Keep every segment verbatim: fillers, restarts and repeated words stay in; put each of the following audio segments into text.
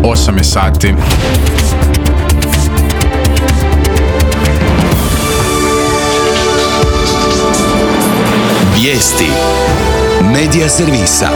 osam je sati. Vijesti Medija servisa.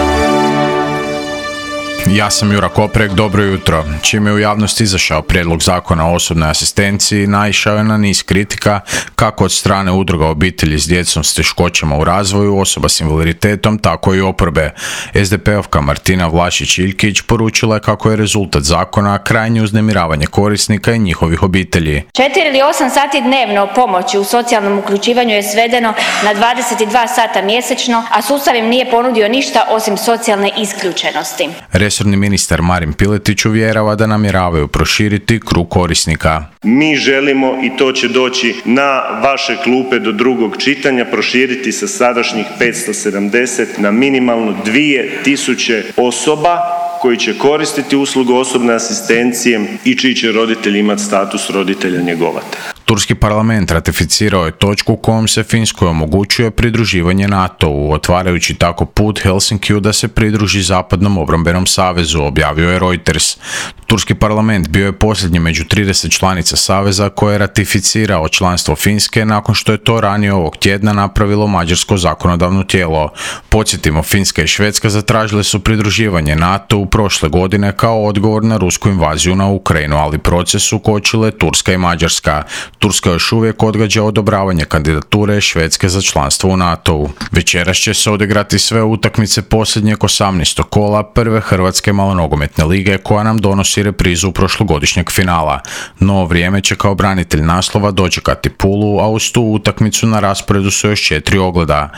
Ja sam Jura Koprek, dobro jutro. Čim je u javnosti izašao prijedlog zakona o osobnoj asistenciji, naišao je na niz kritika, kako od strane udruga obitelji s djecom s teškoćama u razvoju, osoba s invaliditetom, tako i oporbe. es de pe-ovka Martina Vlašić-Iljkić poručila je kako je rezultat zakona krajnje uznemiravanje korisnika i njihovih obitelji. Četiri ili osam sati dnevno pomoći u socijalnom uključivanju je svedeno na dvadeset dva sata mjesečno, a sustav im nije ponudio ništa osim socijalne isključenosti. Resorni ministar Marin Piletić uvjerava da namjeravaju proširiti krug korisnika. Mi želimo, i to će doći na vaše klupe do drugog čitanja, proširiti sa sadašnjih petsto sedamdeset na minimalno dvije tisuće osoba koji će koristiti uslugu osobne asistencije i čiji će roditelji imati status roditelja njegovatelja. Turski parlament ratificirao je točku kojom se Finskoj omogućuje pridruživanje NATO-u, otvarajući tako put Helsinkiju da se pridruži Zapadnom obrambenom savezu, objavio je Reuters. Turski parlament bio je posljednji među trideset članica saveza koje je ratificirao članstvo Finske nakon što je to ranije ovog tjedna napravilo mađarsko zakonodavno tijelo. Podsjetimo, Finska i Švedska zatražile su pridruživanje NATO-u prošle godine kao odgovor na rusku invaziju na Ukrajinu, ali proces su kočile Turska i Mađarska. Turska još uvijek odgađa odobravanje kandidature Švedske za članstvo u NATO-u. Večeras će se odigrati sve utakmice posljednjeg osamnaestog kola prve Hrvatske malonogometne lige koja nam donosi reprizu prošlogodišnjeg finala. No vrijeme će kao branitelj naslova dočekati Pulu, a uz tu utakmicu na rasporedu su još četiri ogleda.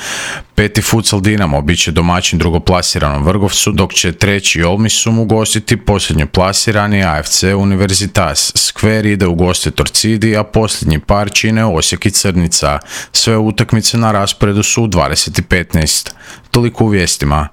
Peti futsal Dinamo bit će domaćin drugoplasiranom Vrgorcu, dok će treći Olmisum ugostiti posljednju plasirani a ef ce Universitas. Skver ide u goste Torcidi, a posljednji par čine Osijek i Crnica. Sve utakmice na rasporedu su u dvadeset i petnaest. Toliko u vijestima.